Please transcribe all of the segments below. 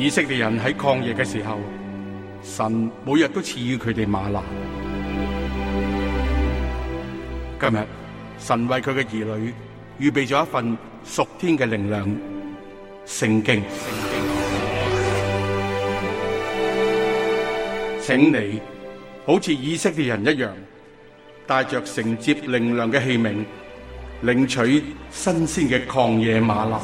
以色列人喺曠野嘅時候，神每日都賜予佢哋嗎哪。今日神為佢嘅兒女預備咗一份屬天嘅靈糧——聖經。請你好似以色列人一樣，帶着承接靈糧嘅器皿，領取新鮮嘅曠野嗎哪。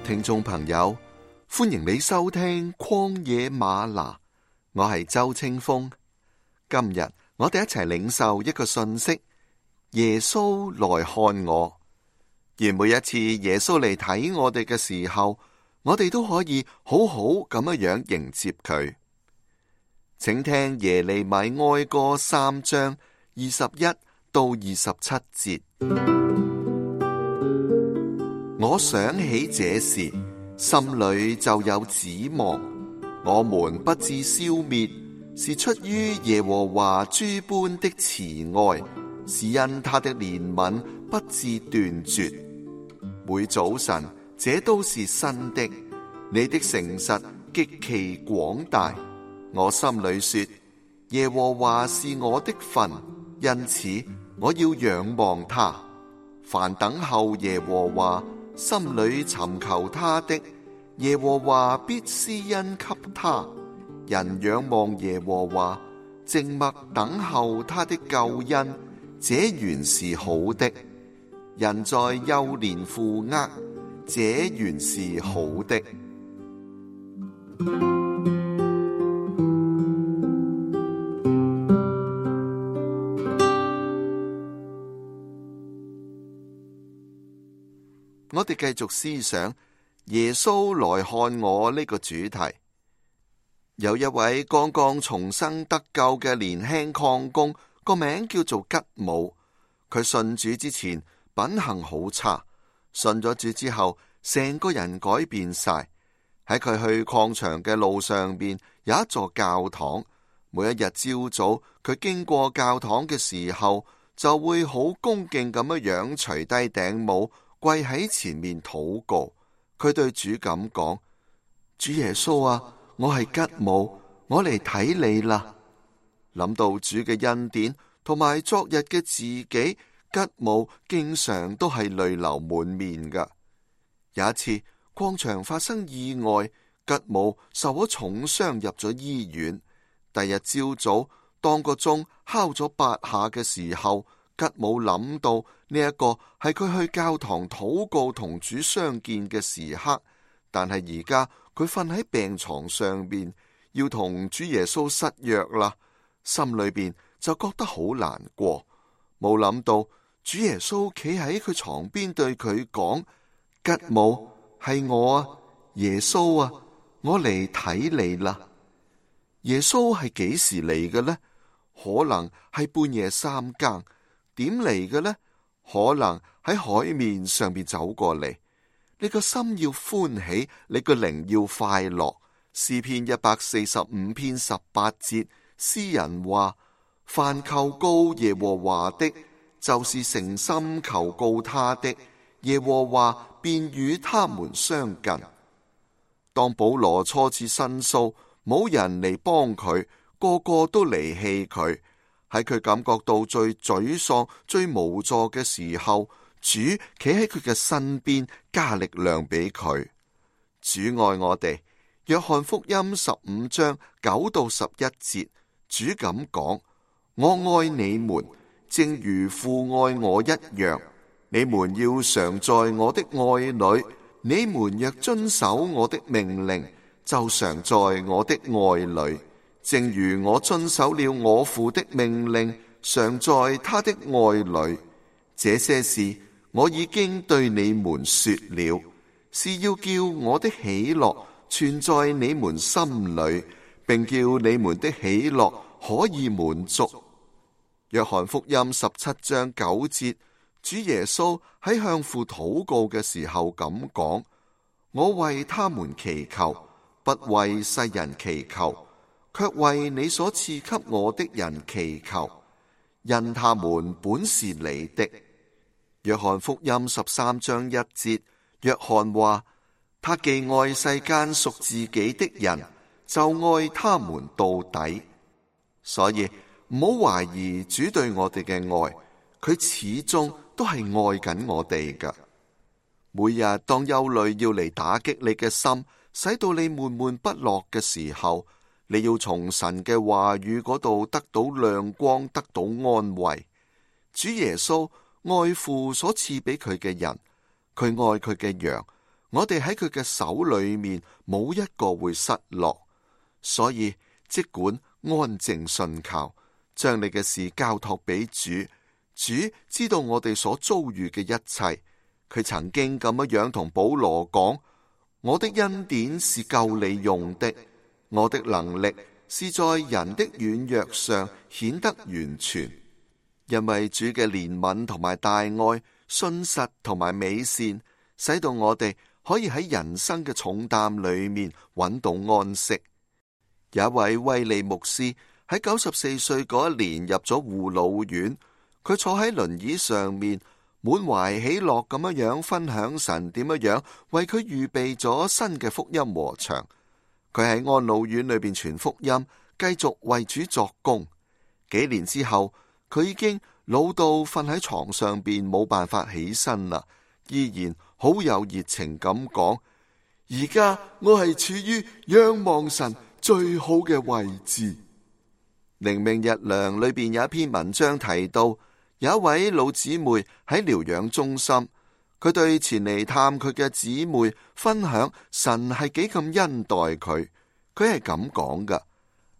聽眾朋友，歡迎你收聽曠野嗎哪，我係周清風。今日我哋一齊領受一個信息：耶穌來看我。而每一次耶穌嚟睇我哋嘅時候，我哋都可以好好咁樣迎接佢。請聽耶利米哀歌3章21到27節。我想起這事，心裏就有指望。我們不致消滅，是出於耶和華諸般的慈愛，是因他的憐憫不致斷絕。每早晨，這都是新的。你的誠實極其廣大。我心裏說，耶和華是我的份，因此我要仰望他。凡等候耶和華，心裏尋求他的，耶和華必施恩給他。人仰望耶和華，靜默等候他的救恩，這原是好的。人在幼年負軛，這原是好的。我哋繼續思想耶穌來看我呢個主題。有一位剛剛重生得救嘅年輕礦工，個名叫做吉姆。佢信主之前品行好差，信咗主之後成個人改變晒。喺佢去礦場嘅路上邊有一座教堂，每一日朝早佢經過教堂嘅時候，就會好恭敬咁樣除低頂帽，跪喺前面禱告。佢對主咁講：主耶穌啊，我係吉姆，我嚟睇你啦。諗到主嘅恩典同埋昨日嘅自己，吉姆經常都係淚流滿面噶。有一次礦場發生意外，吉姆受咗重傷入咗醫院。第日朝早當個鐘敲咗8下嘅時候，吉姆諗到呢一個係佢去教堂禱告同主相見嘅時刻，但係而家佢瞓喺病床上邊，要同主耶穌失約啦，心裏邊就覺得好難過。冇諗到主耶穌企喺佢床邊對佢講：吉姆，係我啊，耶穌啊，我嚟睇你啦。耶穌係幾時嚟嘅呢？可能係半夜3更。點嚟嘅呢？可能喺海面上邊走過嚟。你個心要歡喜，你個靈要快樂。詩篇145篇18節，詩人話：凡求告耶和華的，就是誠心求告他的，耶和華便與他們相近。當保羅初次申訴，冇人嚟幫佢，個個都離棄佢。喺佢感覺到最沮喪、最無助嘅時候，主企喺佢嘅身邊，加力量俾佢。主愛我哋。約翰福音15章9到11節，主咁講：我愛你們，正如父愛我一樣。你們要常在我的愛裏。你們若遵守我的命令，就常在我的愛裏。正如我遵守了我父的命令，常在他的愛裏。這些事我已經對你們說了，是要叫我的喜樂存在你們心裏，並叫你們的喜樂可以滿足。約翰福音17章9節，主耶穌喺向父禱告嘅時候咁講：我為他們祈求，不為世人祈求，卻為你所賜給我的人祈求，因他們本是你的。約翰福音13章1節，約翰話：他既愛世間屬自己的人，就愛他們到底。所以唔好懷疑主對我哋嘅愛，佢始終都係愛緊我哋㗎。每日當憂慮要嚟打擊你嘅心，使到你悶悶不樂嘅時候，你要從神嘅話語嗰度得到亮光，得到安慰。主耶穌愛父所賜俾佢嘅人，佢愛佢嘅羊，我哋喺佢嘅手裏面冇一個會失落。所以即管安靜信靠，將你嘅事交託俾主。主知道我哋所遭遇嘅一切，佢曾經咁樣同保羅講：我的恩典是夠你用的，我的能力是在人的軟弱上顯得完全。因為主嘅憐憫同埋大愛、信實同埋美善，使到我哋可以喺人生嘅重擔裏面揾到安息。有一位威利牧師喺94歲嗰一年入咗護老院，佢坐喺輪椅上面，滿懷喜樂咁樣分享神點樣為佢預備咗新嘅福音禾場。佢喺安老院裏邊傳福音，繼續為主作工。幾年之後，佢已經老到瞓喺床上邊冇辦法起身啦，依然好有熱情咁講：而家我係處於仰望神最好嘅位置。靈命日糧裏邊有一篇文章提到，有一位老姊妹喺療養中心，佢對前嚟探佢嘅姊妹分享神係幾咁恩待佢。佢係咁講噶：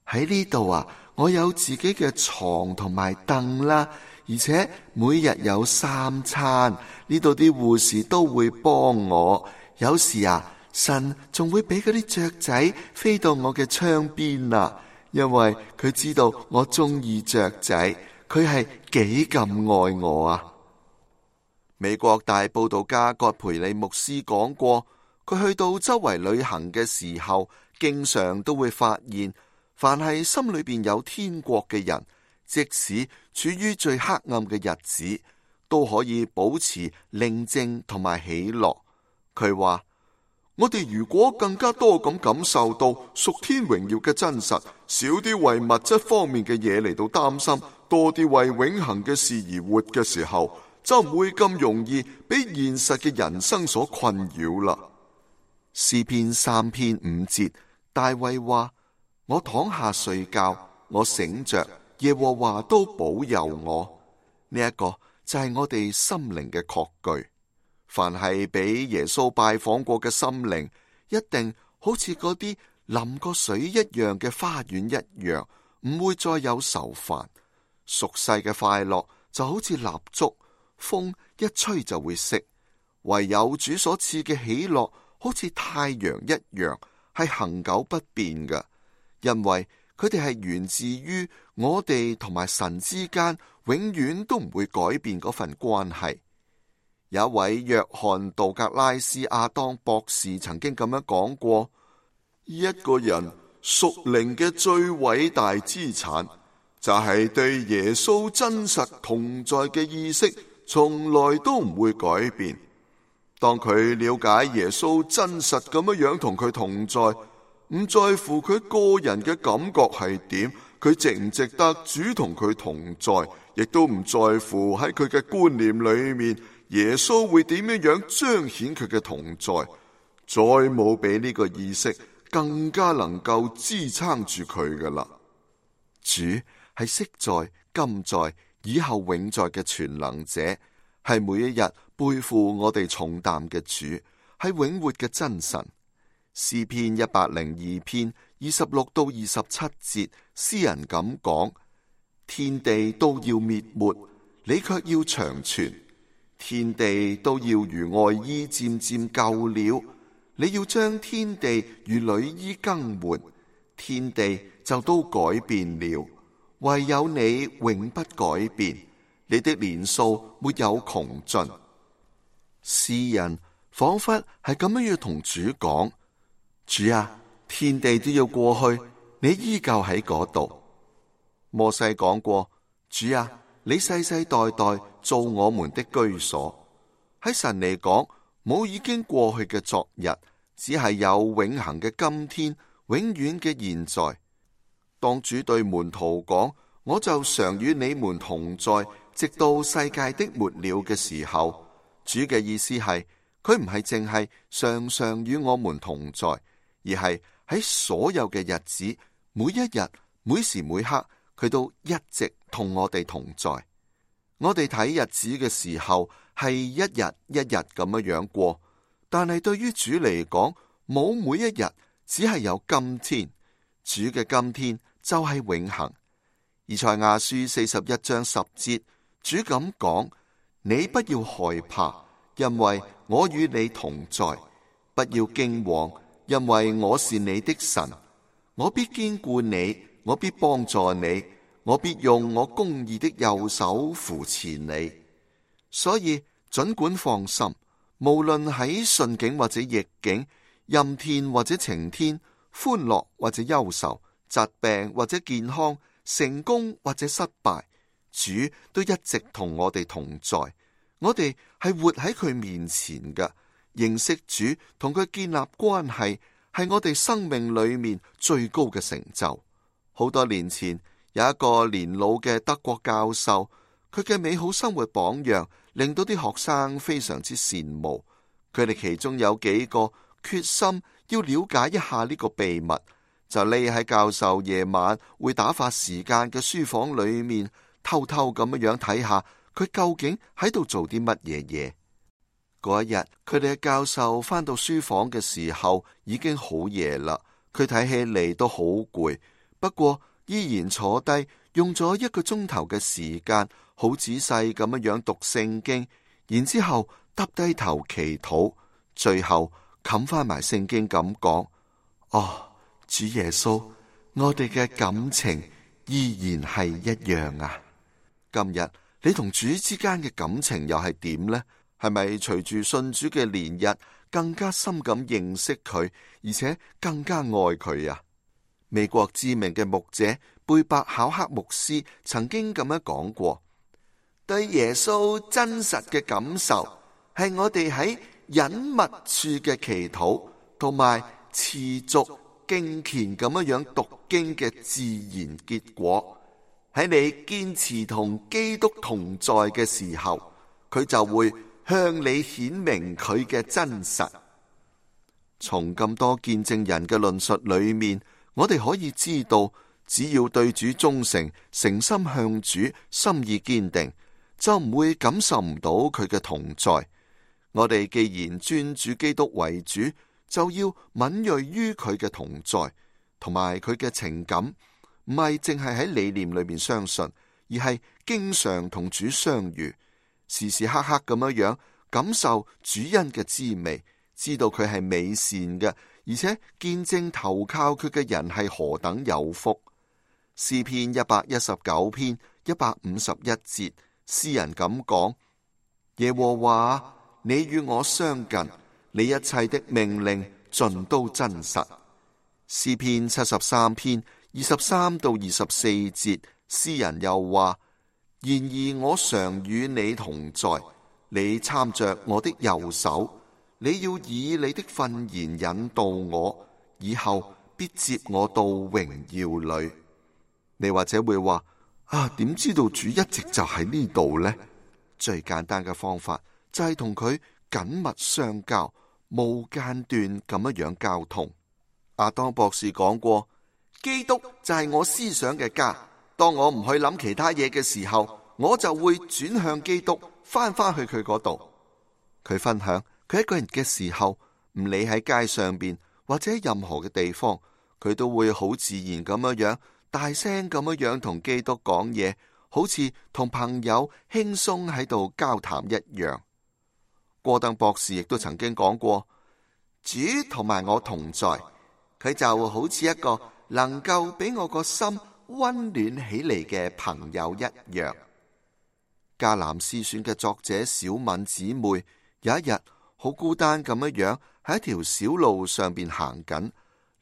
喺呢度啊，我有自己嘅床同埋凳啦，而且每日有3餐，呢度啲護士都會幫我。有時啊，神仲會俾嗰啲雀仔飛到我嘅窗邊啊，因為佢知道我中意雀仔，佢係幾咁愛我啊。美國大佈道家葛培理牧師講過，佢去到周圍旅行嘅時候，經常都會發現，凡係心裏邊有天國嘅人，即使處於最黑暗嘅日子，都可以保持寧靜同埋喜樂。佢話：我哋如果更加多咁感受到屬天榮耀嘅真實，少啲為物質方面嘅嘢嚟到擔心，多啲為永恆嘅事而活嘅時候，就唔會咁容易俾現實嘅人生所困擾啦。詩篇3篇5節，大衛話：我躺下睡覺，我醒着，耶和華都保佑我。呢一個就係我哋心靈嘅確據。凡係俾耶穌拜訪過嘅心靈，一定好似嗰啲淋過水一樣嘅花園一樣，唔會再有愁煩。俗世嘅快樂就好似蠟燭，風一吹就會熄。唯有主所賜嘅喜樂，好似太陽一樣，係恆久不變嘅，因為佢哋係源自於我哋同埋神之間永遠都唔會改變嗰份關係。有一位約翰道格拉斯亞當博士曾經咁樣講過：一個人屬靈嘅最偉大資產，就係對耶穌真實同在嘅意識，從來都唔會改變。當佢了解耶穌真實咁樣同佢同在，唔在乎佢個人嘅感覺係點，佢值唔值得主同佢同在，亦都唔在乎喺佢嘅觀念裏面，耶穌會點樣彰顯佢嘅同在。再冇比呢個意識更加能夠支撐住佢噶啦。主係昔在、今在、以後永在嘅全能者，係每一日背負我哋重擔嘅主，係永活嘅真神。詩篇102篇26到27節，詩人咁講：天地都要滅沒，你卻要長存；天地都要如外衣漸漸舊了，你要將天地如裡衣更換，天地就都改變了，唯有你永不改變，你的年數沒有窮盡。詩人仿佛係咁樣要同主講：主啊，天地都要過去，你依舊喺嗰度。摩西講過：主啊，你世世代代做我們的居所。喺神嚟講，冇已經過去嘅昨日，只係有永恆嘅今天，永遠嘅現在。當主對門徒講：我就常與你們同在，直到世界的末了嘅時候，主嘅意思係，佢唔係淨係常常與我們同在，而係喺所有嘅日子，每一日，每時每刻，佢都一直同我哋同在。我哋睇日子嘅時候係一日一日咁樣過，但係對於主嚟講，冇每一日，只係有今天。主嘅今天就係永恆。以賽亞書41章10節，主咁講：你不要害怕，因為我與你同在；不要驚惶，因為我是你的神。我必堅固你，我必幫助你，我必用我公義的右手扶持你。所以盡管放心，無論喺順境或者逆境，陰天或者晴天，歡樂或者憂愁，疾病或者健康，成功或者失敗，主都一直同我哋同在。我哋係活喺佢面前嘅，認識主同佢建立關係，係我哋生命裏面最高嘅成就。好多年前，有一個年老嘅德國教授，佢嘅美好生活榜樣令到啲學生非常之羨慕。佢哋其中有幾個決心要了解一下呢個秘密，就匿喺教授夜晚會打發時間嘅書房裏面，偷偷咁樣睇下佢究竟喺度做啲乜嘢嘢。嗰一日，佢哋嘅教授返到書房嘅時候已經好夜啦，佢睇起嚟都好攰，不過依然坐低，用咗1個鐘頭嘅時間，好仔細咁樣讀聖經，然之後耷低頭祈禱，最後冚翻埋聖經咁講：哦，主耶穌，我哋嘅感情依然係一樣啊！今日你同主之間嘅感情又係點呢？係咪隨住信主嘅年日，更加深咁認識佢，而且更加愛佢啊？美國知名嘅牧者貝伯考克牧師曾經咁樣講過：對耶穌真實嘅感受，係我哋喺隱密處嘅祈禱，同埋持續敬虔咁樣讀經嘅自然結果。喺你堅持同基督同在嘅時候，佢就會向你顯明佢嘅真實。從咁多見證人嘅論述裏面，我哋可以知道，只要對主忠誠，誠心向主，心意堅定，就唔會感受唔到佢嘅同在。我哋既然尊主基督為主，就要敏銳於佢嘅同在，同埋佢嘅情感，唔係淨係喺理念裏面相信，而係經常同主相遇，時時刻刻咁樣感受主恩嘅滋味，知道佢係美善嘅，而且見證投靠佢嘅人係何等有福。詩篇119篇151節，詩人咁講：耶和華，你與我相近，你一切的命令盡都真實。詩篇73篇23到24節，詩人又話：然而我常與你同在，你攙着我的右手，你要以你的訓言引導我，以後必接我到榮耀裏。你或者會話：啊，點知道主一直就喺呢度呢？最簡單嘅方法就係同佢緊密相交，無間斷咁樣交通。亞當博士講過：基督就係我思想嘅家。當我唔去諗其他嘢嘅時候，我就會轉向基督，翻去佢嗰度。佢分享，佢一個人嘅時候，唔理喺街上邊或者任何嘅地方，佢都會好自然咁樣大聲咁樣同基督講嘢，好似同朋友輕鬆喺度交談一樣。戈登博士亦都曾經講過：主同埋我同在，佢就好似一個能夠俾我個心溫暖起嚟嘅朋友一樣。迦南詩選嘅作者小敏姊妹有一日好好孤單咁樣喺一條小路上邊行緊，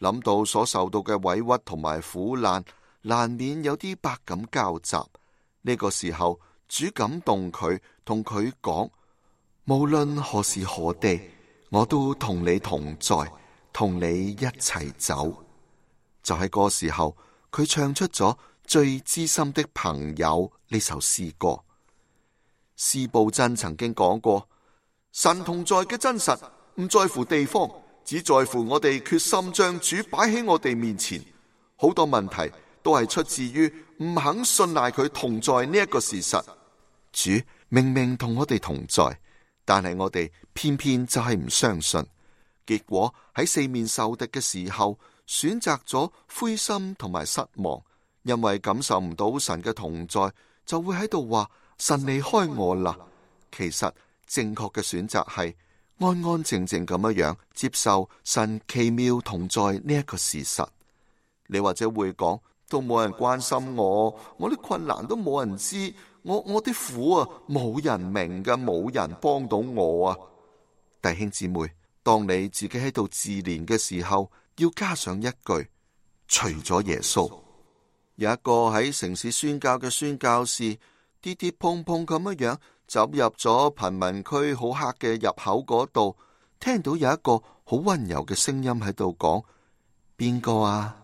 諗到所受到嘅委屈同埋苦難，難免有啲百感交集。呢個時候，主感動佢，同佢講：無論何時何地，我都同你同在，同你一齊走。就喺嗰時候，佢唱出咗最知心的朋友呢首詩歌。司布真曾經講過，神同在嘅真實唔在乎地方，只在乎我哋決心將主擺喺我哋面前。好多問題都係出自於唔肯信賴佢同在呢一個事實。主明明同我哋同在，但係我哋偏偏就係唔相信，結果喺四面受敵嘅時候，選擇咗灰心同埋失望，因為感受唔到神嘅同在，就會喺度話神離開我啦。其實正確嘅選擇係安安靜靜咁樣接受神奇妙同在呢一個事實。你或者會講，都冇人關心我啲困難都冇人知，我啲苦啊冇人明㗎，冇人幫到我啊。弟兄姊妹，當你自己喺度自憐嘅時候，要加上一句，除咗耶穌。有一個喺城市宣教嘅宣教士，跌跌碰碰咁樣走入咗貧民區好黑嘅入口嗰度，聽到有一個好溫柔嘅聲音喺度講：邊個啊？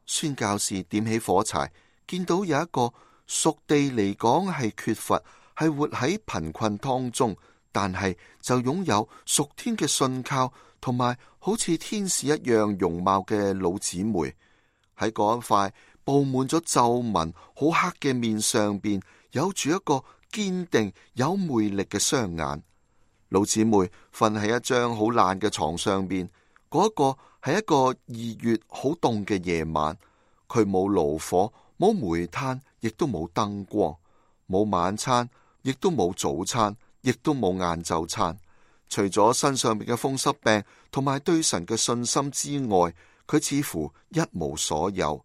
宣教士點起火柴，見到有一個屬地嚟講係缺乏，係活喺貧困當中，但係就擁有屬天嘅信靠，同埋好似天使一樣容貌嘅老姊妹，喺嗰一塊布滿咗皺紋好黑嘅面上邊，有住一個堅定有魅力嘅雙眼。老姊妹瞓喺一張好爛嘅床上邊，嗰一個係一個2月好凍嘅夜晚，佢冇爐火，冇煤炭，亦都冇燈光，冇晚餐，亦都冇早餐，亦都冇晏晝餐。除咗身上面嘅風濕病同埋對神嘅信心之外，佢似乎一無所有。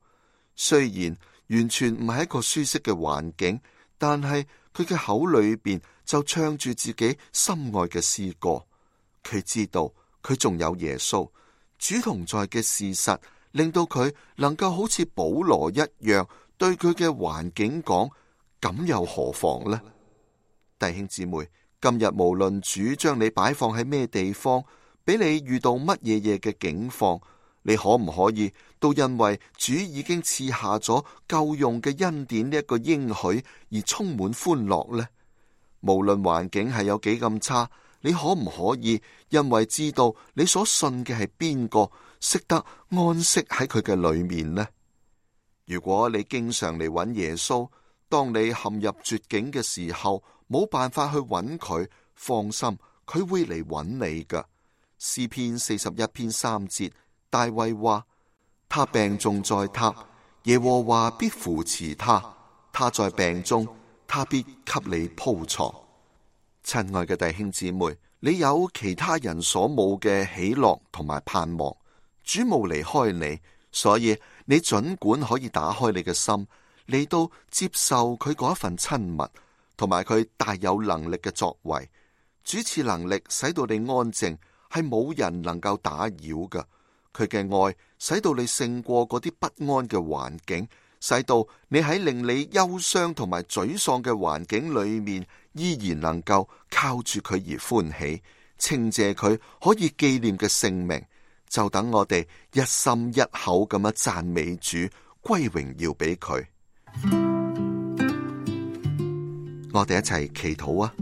雖然完全唔係一個舒適嘅環境，但係佢嘅口裏邊就唱住自己心愛嘅詩歌。佢知道佢仲有耶穌，主同在嘅事實，令到佢能夠好似保羅一樣對佢嘅環境講：咁又何妨呢？弟兄姊妹，今日無論主將你擺放喺咩地方，俾你遇到乜嘢嘅境況，你可唔可以都因為主已經賜下咗夠用嘅恩典呢一個應許而充滿歡樂呢？無論環境係有幾咁差，你可唔可以因為知道你所信嘅係邊個，識得安息喺佢嘅裏面呢？如果你經常嚟揾耶穌，當你陷入絕境嘅時候，冇辦法去揾佢，放心，佢會嚟揾你㗎。詩篇41篇3節，大衛話：他病重在榻，耶和華必扶持他；他在病中，他必給你鋪床。親愛嘅弟兄姊妹，你有其他人所冇嘅喜樂同埋盼望，主冇離開你，所以你盡管可以打開你嘅心，嚟到接受佢嗰一份親密，同埋佢大有能力嘅作為。主賜能力使到你安靜，係冇人能夠打擾㗎。佢嘅愛使到你勝過嗰啲不安嘅環境，使到你喺令你憂傷同埋沮喪嘅環境裏面，依然能夠靠住佢而歡喜，稱謝佢可以紀念嘅聖名。就等我哋一心一口咁樣讚美主，歸榮耀俾佢。我哋一齊祈禱啊！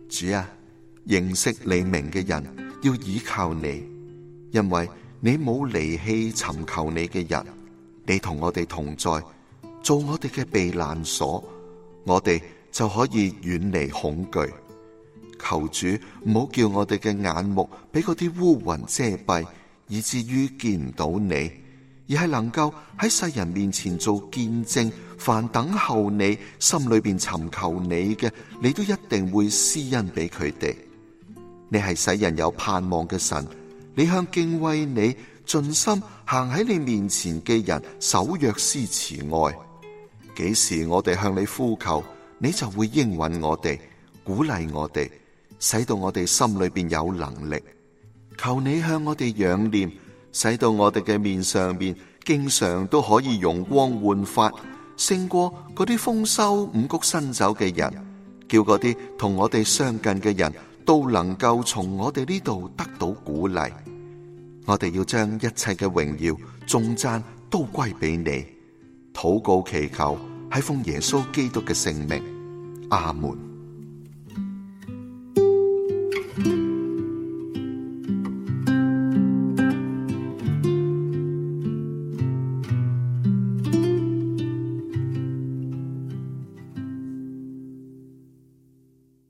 主啊，認識你名嘅人要倚靠你，因為你冇離棄尋求你嘅人。你同我哋同在，做我哋嘅避難所，我哋就可以遠離恐懼。求主唔好叫我哋嘅眼目俾嗰啲烏雲遮蔽，以至於見唔到你，而係能夠喺世人面前做見證。凡等候你，心裏邊尋求你嘅，你都一定會施恩俾佢哋。你係使人有盼望嘅神，你向敬畏你、盡心行喺你面前嘅人守約施慈愛。幾時我哋向你呼求，你就會應允我哋，鼓勵我哋。使到我哋心裏邊有能力。求你向我哋仰念，使到我哋嘅面上邊經常都可以容光煥發，勝過嗰啲豐收五穀新酒嘅人，叫嗰啲同我哋相近嘅人都能夠從我哋呢度得到鼓勵。我哋要將一切嘅榮耀頌讚都歸俾你，禱告祈求係奉耶穌基督嘅聖名，阿門。